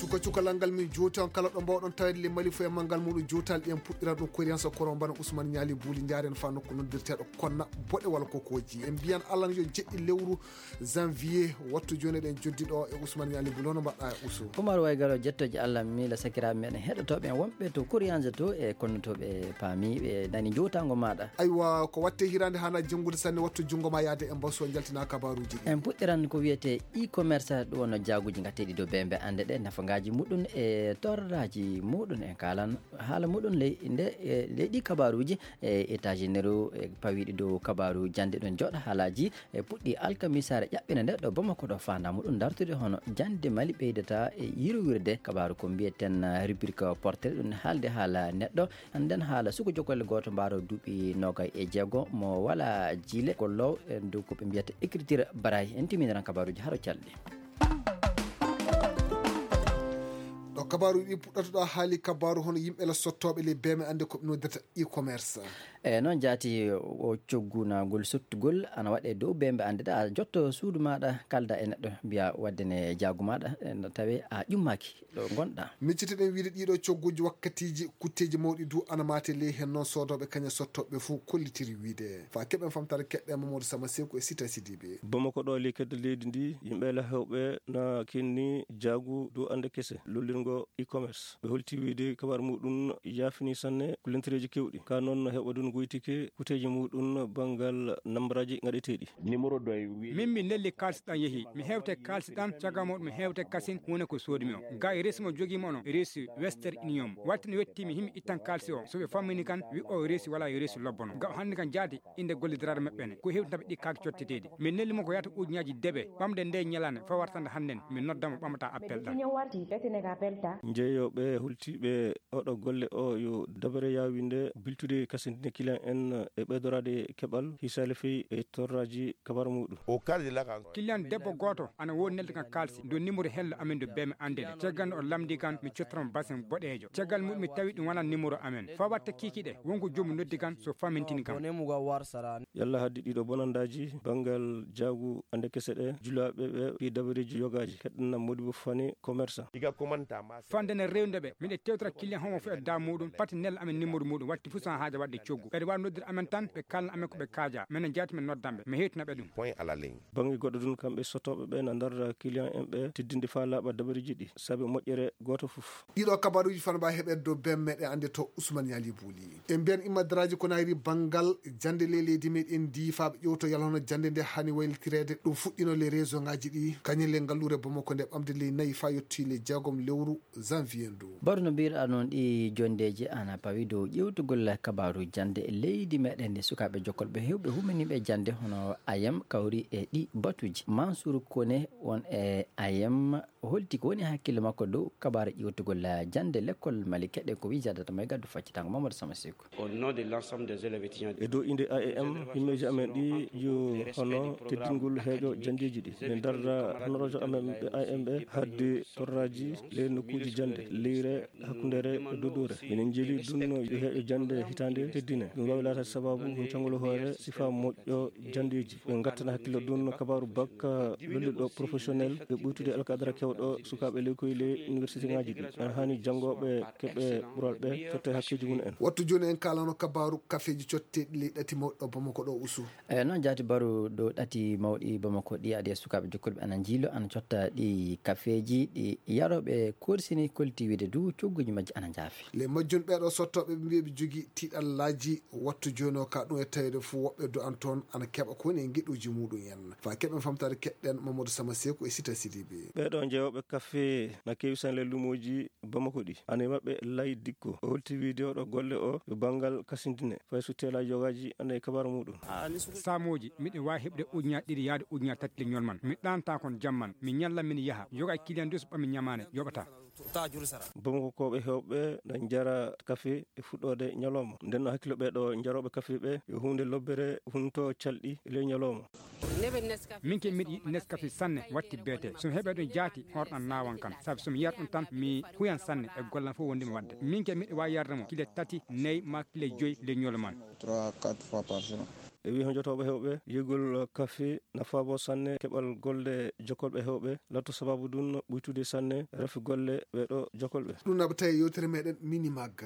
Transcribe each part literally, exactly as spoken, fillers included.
Cuka cukalal ngal min jowti on kala ɗo mbawɗon tawede le Mali fo e manngal muɗum jowtal ɗen puɗɗiran ɗum koriyansa koro mbana Ousmane Ñaali Buuli njaaren fa nokku noddirteeɗo Konna Boɗe walla Kokoji. En mbiyan Allah yo jeɗɗi lewru janvier wattu joni eɗen joddi ɗo e Ousmane Ñaali Buuli, hono mbaɗɗa e Ousou? Umar Waygaro, jettoji Allah miila sakiraaɓe meɗen heɗotooɓe en wonɓe to koriyansa to e konno to ɓe paami ɓe nani jowtango maɗa. Aywa, ko watte hirande hana janngude sanne wattu junngo ma yaade e mbaso jaltina kabaruji ɗi. En puɗɗiran ko wiyete e-commerce, ɗum wonno jaaguji gateɗi dow bembe ande ɗe nafogaji muɗum e torraji muɗum. En kalan haala muɗum ley nde e leyɗi kabaruji e étagénéro e pawiɗi dow kabaru jande ɗum joɗa haalaji e puɗɗi alkamisare ƴaɓɓina nde ɗo Bamako ɗo fanda muɗum dartude hono jande Mali ɓeydata e yirwirde kabaru ko mbiyeten rubrique portrait ɗum haalde haala neɗɗo. Nden haala suko jogolle gooto mbaaro duuɓi nogay e jeego mo wala jiile gollow e dow ko ɓe mbiyata écriture barayi. En timiniran kabaruji haro calɗi. Ɗo kabaru ɗi puɗɗata ɗo haali kabaru hono yimɓe la sottooɓe le beme ande ko ɓe noddirta e-commerce. E noon jaati o coggunagol sottugol ana waɗe dow bembe ande ɗa jotto suudu maɗa kalda e neɗɗo mbiya wadde ne jaagu maɗa e no tawe a ƴummaki ɗo gonɗa. Miccitiɗen wiide ɗiɗo cogguji wakkatiji kutteji mawɗi du ana mate ley hen noon sodoɓe kaña sottoɓe fo kollitiri wiide fa keɓen famtare keɗɗe Mamadou Sama Seku e Sita Sidibe. Bamako ɗo ley kedde leydi ndi yimɓe la hewɓe na kenni jaagu dow ande kese lollirgo e-commerce ɓe holti wiide kabar muɗum yaafini sanne ko lentereji kewɗi ka noon hewɓe dun goytike kuteji muɗum banngal nambaraji gaɗeteɗi. Min mi nelli kaalisi ɗan yehi mi hewte kaalisi ɗan cagamo mi hewte kasin wona ko soodimi o ga e resi mo jogimo no resi wester union wattino wettimi himi ittan kaalisi o so ɓe fammini kan wi o resi wala e resi lobbono ga o hanni kan jaati inde gollidiraɗo maɓɓe ne ko hewtinaɓe ɗi kaaki cotteteɗi min nelli mo ko yata ujunaji deɓe ɓamde nde ñalande fa wartande hannden min noddamo ɓamata appel ɗan. Jeeyoɓe hultiɓe oɗo golle o yo dabare yawinde biltude kasindine kilan en e ɓeydorade keɓal hisale fey e torraji kabar muɗum. Kiliyan debbo gooto ana woodi neldi kan kaalsi dow nimoro hello amen do bee mi annde de caggal nde o lamndi kan mi cottoramo basin boɗeejo caggal muɗum mi tawi ɗum wonaa nimoro amen fa watta kiikiɗe wonko joomum noddi kan so famintini kam. Yalla haddi ɗiɗo bonandaaji banngal jaagu annde kese ɗe julaaɓe ɓe fii dabareeji yogaaji heɗɗana modibo fani commerçant. Fande ne rewde ɓe miɗe tewtora kiliyan homo fof e da muɗum pati nel amen nimoro muɗum watti fof so haaja wadde coggu ɓeɗe wawi noddude amen tan ɓe kalna amen ko ɓe kaaja minen jaati min noddanɓe mi hewtina ɓe ɗum. Point à la ligne. Bannge goɗɗo ɗum kamɓe sottooɓe ɓe na ndarra kiliyan en ɓe teddinde faa laaɓa dabareeji ɗi sabi moƴƴere gooto fof. Ɗiɗo kabaruuji fana mbawi heɓede dow bem meɗen ande to Ousmane Yali Bouli. En mbiyan immadaraaji ko nayri banngal jannde ley leydi meɗen ndi faa ɓe ƴewto yalhono jannde nde hani waylitireede ɗum fuɗɗino ley réseau ngaji ɗi kañum ley ngalluure Bamako nde ɓamde ley nayi faa yotti ley jeegom lewru janvier ndu. Baro no mbirɗa noon ɗi jondeeji ana pawi dow ƴewtugol kabaaru jannde leydi meɗen ndi sukaaɓe jokkolɓe hewɓe humaniɓe jannde hono ayam kawri e ɗi batuji Mansour Kone won e ayam holti ko woni hakkille makko dow kabaaru ƴewtugol jannde lekkol Mali keɗen ko wii jadata mo e gaddu faccitango Mamadou Sama Seku. E dow innde A E M himmeeji amen ɗi yo hono teddingol heeƴo janndeeji ɗi min darra honorojo amen ɓe A E M ɓe hadde torraaji ley nokkuuji jannde leyre hakkundere e dodore minen njeeli ɗum no yo heeƴo jannde hitaande teddine ɗum waawi laataade sababu hon cangol hoore sifa moƴƴo janndeeji ɓe ngattana hakkille ɗum no kabaaru bakka lolliɗo professionnel ɓe ɓuytude alkadara kewɗo sukaaɓe leykoy ley université ngaji ɗi en haani janngooɓe keɓe ɓural ɓe totta e hakkeeji mum en. Wattu jooni en kaalano kabaaru kafeeji cotteeɗi ley ɗati mawɗo Bamako ɗo usu. Eyi noon jaati baru ɗo ɗati mawɗi Bamako ɗi adi e sukaaɓe jokkuɓe ana njiilo ana cotta ɗi kafeeji ɗi yarooɓe korsini kolti wiide du cogguji majji ana njaafi. Ley majjum ɓeeɗo sottooɓe ɓe mbiya ɓe jogii tiiɗallaaji wattu jooni o ka ɗum e taweede fof woɓɓe do an toon ana keɓa ko woni e ngeɗuuji muɗum en fa keɓen famtaade keɗɗen Mamadou Sama Seku e Sita Sidibe. Ɓeeɗo jeeyooɓe kafe na keewi sanle luumooji Bamako ɗi ana e maɓɓe Lay Dikko o holti wiide oɗo golle o yo banngal kasindine fay so teelaa yogaaji ana e kabaru muɗum. Saamooji miɗo waawi heɓde ujunnaaje ɗiɗi yahde ujunnaaje tati leñol man mi ɗaantaa kon jam man mi ñalla min yaha yoga e kiliyan dus ɓami ñamaane yoɓataa. Bamako kooɓe heewɓe na njara kafe e fuɗɗoode ñalooma nden no hakkilo ɓeeɗo njarooɓe kafe ɓe yo huunde lobbere hunto calɗi e ley ñalooma. Min ke miɗo yiɗi neskafe sanne watti beete somi heɓe ɗum jaati horɗan nawan kan sabi somi yar ɗum tan mi huyan sanne e gollan fof wondimi wadde min ke miɗo wawi yarde mo kile tati nayi ma kile joyi leñol man. E wii honjotooɓe heewɓe, yigol kafe nafaabo sanne keɓal golle jokolɓe heewɓe, latto sababu ɗun ɓuytude sanne rafi golle ɓee ɗoo jokolɓe. Ɗum naɓata e yewtere meɗen Minimag.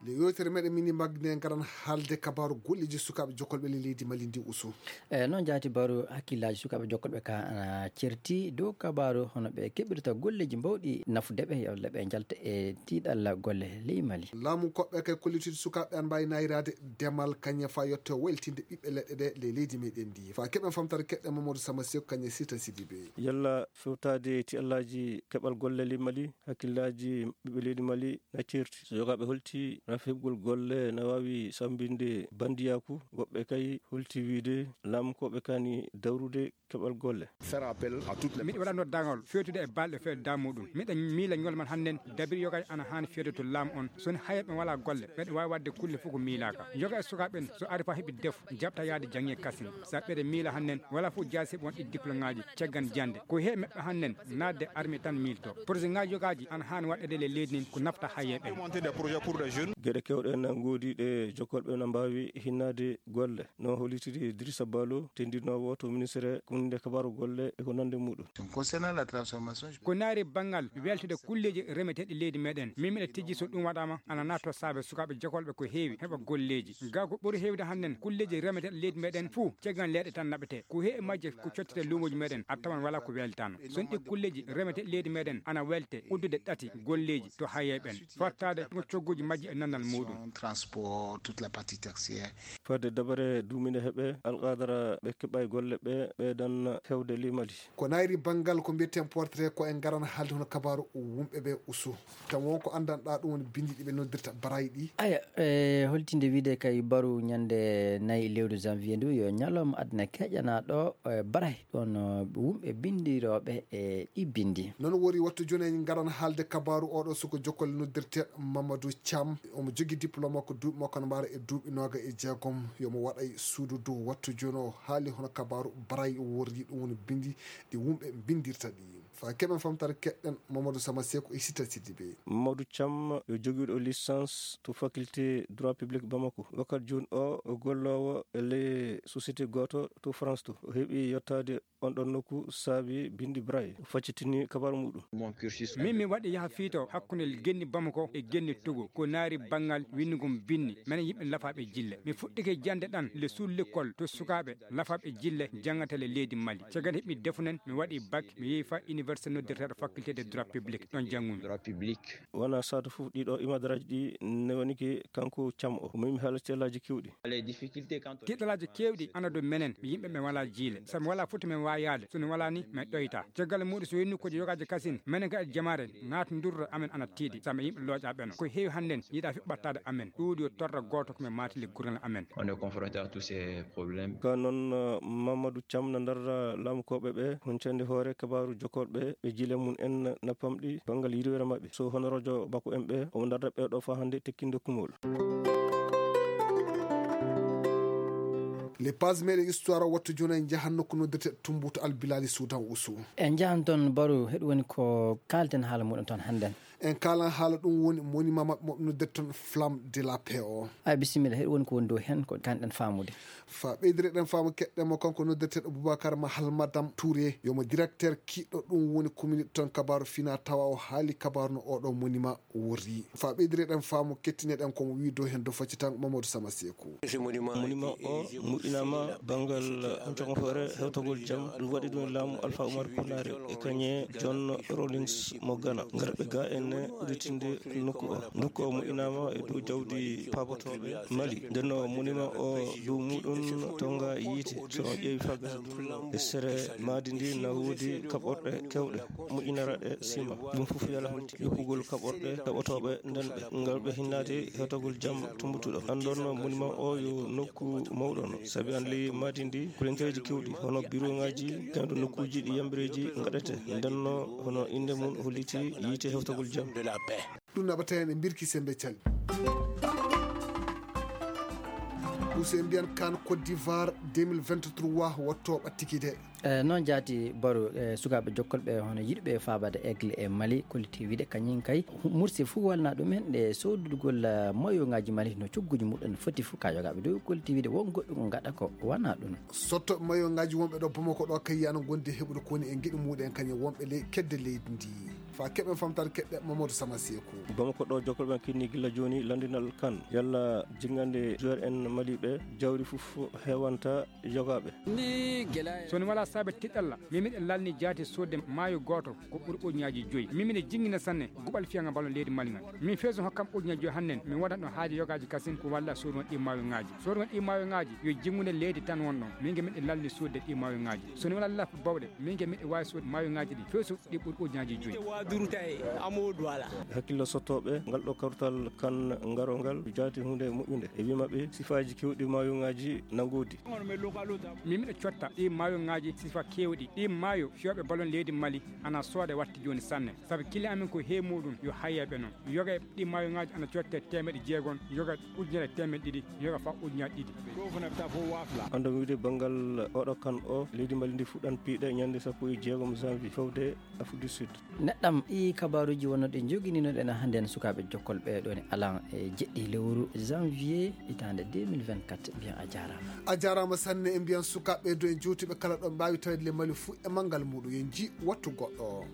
Le yewtere meɗen Minimag nde ngaran haalde kabaaru golleeji sukaaɓe jokolɓe le leydi Mali ndi usu. E noon jaati baaru hakkillaaji sukaaɓe jokolɓe ka ana certi dow kabaaru hono ɓe keɓirta golleeji mbawɗi nafude ɓe, walla ɓe njalta e tiiɗalla golle ley Mali. Laamu koɓɓe kay kollitide sukaaɓe an mbaawi nayraade demal kañe faa yotte weltinde ɓiɓɓe leɗɗe ɗe ley leydi meɗen ndi. Faa keɓen famtare keɗɗen Mamadou Sama Seku kañe Sita Sidibe. Yalla fewtaade tiiɗallaaji keɓal golle ley Mali, hakkillaaji ɓiɓɓe leydi Mali na certi. So yogaaɓe holti rafi heɓgol golle na waawi sambinde bandiyaaku, woɓɓe kay holti wiide laamu koɓɓe kaani dawrude keɓal golle. Faire appel à toutes les miɗo waɗa noddaangal feewtude e balɗe feewde daamuɗum. Miɗa miila ñol man hannden dabiri yogay ana haani feewde to laamu on. So ni hayat ɓe walaa golle, ɓeɗe waawi waɗde kulle fof ko miilaaka. Yoga e sukaaɓe ɓen, so ari faa heɓi defu, jaɓta yaade jaŋnge kasin. Sa ɓeɗe miila hannden, walaa fof jaasi heɓi won ɗi diplôme ŋaaji, caggan jannde. Ko he meɓɓe hannden, naatde armée tan miilto. Projet ŋaaji yogaaji ana haani waɗeede le leydi ndin ko nafta hayat ɓen. Augmenter des projets pour des jeunes. Geɗe kewɗe na ngoodi ɗe jokolɓe na mbaawi hinnaade golle. No hollitiri Idrissa Balo, tendinoowo to ministre kunnde kabaaru golle e ko nande muɗum. Concernant la transformation, je- Ko naari banngal weltude kulleeji remeteeɗi leydi meɗen, min miɗa tijji so ɗum waɗaama, ana naatoo saabe sukaaɓe jokolɓe ko heewi heɓa golleeji. Gaa ko ɓuri heewde hannden kulleeji remeteeɗi leydi meɗen fuu, caggal leeɗe tan naɓetee. Ko heewi majje ko cottete luumooji meɗen, a tawan walaa ko weltaano. So ɗi kulleeji remeteeɗi leydi meɗen ana welte uddude ɗati golleeji to hayee ɓen, fottaade ko cogguuji majji e nannal muɗum. Transport, toute la partie tertiaire. Fadde dabare duuminde heɓe alqadara ɓe keɓay golle ɓe ɓeydan hewde ley Mali. Ko nayri banngal ko mbiyeten portrait ko en ngaran haalde hono kabaaru wumɓe ɓe usu. Tan won ko anndanɗaa ɗum woni binndi ɗi ɓe noddirta barayi ɗi. Aya, e holtinde wiide kay baru ñande nayi lewru janvier ndu yo ñalawma aduna keƴanaaɗo, e, barayi ɗon, e, wumɓe binndirooɓe e ɗi binndi. Noon wori wattu jooni en ngaran haalde kabaaru oɗo suko jokkol noddirte Mamadou Thiam. Omo jogi diplôme makko duuɓi makko no mbaara e duuɓi nooga e jeegom. Yomo waɗay suudu dow wattu jooni o haali hono kabaaru barayi o worri ɗum woni binndi ɗi wumɓe binndirta ɗi. Faa keɓen famtare keɗɗen Mamadou Sama Seku e Sita Sidibe. Mamadou Thiam yo jogiiɗo licence to faculté droit public Bamako. Wakkati jooni o, o golloowo e ley société gooto to France to. O heɓi yottaade on ɗon nokku saabi binndi Braille. O faccitini kabaaru muɗum. Min mi waɗi yaha fiito hakkunde genni Bamako e genni Togo. Ko naari banngal winndugol binndi. Menen yimɓe lafaaɓe jille. Mi fuɗɗike jannde ɗan le sous l'école to sukaaɓe lafaaɓe jille janngata le leydi Mali. Caggal heɓi defunen, mi waɗi bac, mi yehi fa université noddirteeɗo faculté de droit public. Ɗon janngumi. Droit public. Wona saatu fof ɗiɗo imadaraaji ɗi newani ki kanko Thiam o. Ko mi mi haala tiiɗalaaji kewɗi. Tiiɗalaaji keewɗi ana dow menen, mi yimɓe men walaa jiile. Sabu mi walaa fof to men waawi yaade. So mi walaa ni, mi ɗoyta. Caggal muuɗum so wonii ko yogaaji kasin, menen kadi jamaare, naatndirɗo amen ana tiiɗi. Sabu men yimɓe looƴaaɓe no. Ko heewi hannden, yiɗaa fi ɓattaade amen. Ɗuuɗi yo torra gooto ko men maatili gurnal amen. On est confronté à tous ces problèmes. Ka noon, eh, Mamadou Thiam na ndarra laamukooɓe ɓe, huncande hoore kabaaru jokkorɓe ɓe jiile mum en na pamɗi banngal yirwere maɓɓe. So hono rojo Bako en ɓe, omo ndarra ɓe ɗo faa hannde tekkinde kumol. Les pages meɗen histoire o wattu jooni en njahan nokku noddirte Tumbutu Albilali Suudan Usu. En njahan toon Baru, heɗum woni ko kaalten haala muɗum toon hannden. En kaalan haala ɗum woni monument maɓɓe mo ɓe noddirta toon Flamme de la Paix o. Ay, bisimilla, heɗum woni ko woni dow heen ko kaanɗen faamude. Faa ɓeydireɗen faamu keɗɗen mo kanko noddirteeɗo Boubacar Mahal Madame Touré, yo mo directeur kiiɗɗo ɗum woni communiqué toon kabaaru fina tawa o haali kabaaru no oɗo monument worri. Faa ɓeydireɗen faamu kettineɗen ko mo wii dow heen dow facci tan Mamadou Sama Seeku. Monument o moƴƴinaama banngal jogohoore hewtagol jam, ɗum waɗi ɗum e laamu Alpha Oumar Konaré e kañe John Rawlings mo Ghana. Ngarɓe ga en udditinde nokku o. Nokku o moƴƴinaama e dow jawdi paabotooɓe Mali. Nden no monument o dow muɗum tonga yiite. So on ƴeewi faa gasa ɗum e sere maadi ndi na woodi kaɓorɗe kewɗe moƴƴinaraɗe sima. Ɗum fof yala holti yoɓugol kaɓorɗe kaɓotooɓe nden ɓe ngal ɓe hinnaade hewtagol jam tumbutuɗo. Anndon monument o yo nokku mawɗo no, sabi an ley maadi ndi kulentereeji kewɗi hono biroŋaaji, kayɗo nokkuuji ɗi yambireeji ngaɗete. Nden no hono innde mum holliti yiite hewtagol jam. Ɗum naɓata heen e mbirki Semmbe Cali. Use mbiyan kan Côte d'Ivoire deux mille vingt-trois wotto ɓattiki de. E noon jaati baro, e sukaaɓe jokkolɓe hono yiɗɓe faabaade aigle e Mali, kolliti wiide kañum kay mursi fof walna ɗum en ɗe soodugol, eh, mayoŋaaji Mali no cogguji muɗum foti fof ka yogaaɓe dow, kolliti wiide won goɗɗum ko ngaɗa ko wana ɗum. Sotto mayoŋaaji wonɓe ɗo Bamako ɗo kay yana gondi heɓude ko woni e giɗi muɗum en kañum wonɓe ley kedde leydi ndi. Fa keɓen famtaade keɗɗe Mamadou Sama Seeku. Bamako ɗo jokkolɓe en kinni gilla jooni landinal kan yalla jingande joueur en Mali ɓe jawri fof hewanta yogaaɓe. Ni gela. So ni wala saabe tiɗalla, min miɗen lalni jaati sodde maayo gooto ko ɓuri ujunnaaji joyi. Min miɗen jingina sanne guɓal fiyanga ballon leydi Mali ngal. Min feesu hokkam ujunnaaji joyi hannen, min waɗatno haaji yogaaji kasin ko walla soodun ɗi maayo ŋaaji. Soodun ɗi maayo ŋaaji yo jingude leydi tan won ɗon. Min ge miɗen lalni sodde ɗi maayo ŋaaji. So ni wala laf bawɗe, min ge miɗen waawi sodde maayo ŋaaji ɗi. Feesu ɗi ɓuri ujunnaaji joyi. Hakkillo sottooɓe ngal ɗo kawtal kan ngarongal jaati hunde moƴƴunde. E wii maɓɓe sifaaji kewɗi maayo ŋaaji na ngoodi. Min miɗo cotta ɗi maayo ŋaaji sifa kewɗi. Ɗi maayo fiyooɓe ballon leydi Mali ana sooda watti jooni sanne. Sabu kile amin ko he muɗum yo hayyaɓe noon. Yoga e ɗi maayo ŋaaji ana cotte teemeɗe jeegom, yoga ujunere teemeɗe ɗiɗi, yoga fa ujunnaaji ɗiɗi. Ando mi wiide banngal oɗo kan o, leydi Mali ndi fuɗɗan piiɗe ñande sappo e jeegom janvier fewde Afrique du Sud. Neɗɗam ɗi kabaaruuji wonno ɗe njogininoɗen hannden sukaaɓe jokkol ɓe ɗo ne alan e jeɗɗi lewru janvier hitaande deux mille vingt-quatre. Mbiyan a jaaraama. A jaaraama sanne e mbiyan sukaaɓe do e jowtuɓe kala ɗo mbaawi tawde le Mali fuu e manngal muɗum. Yo nji wattu goɗɗo.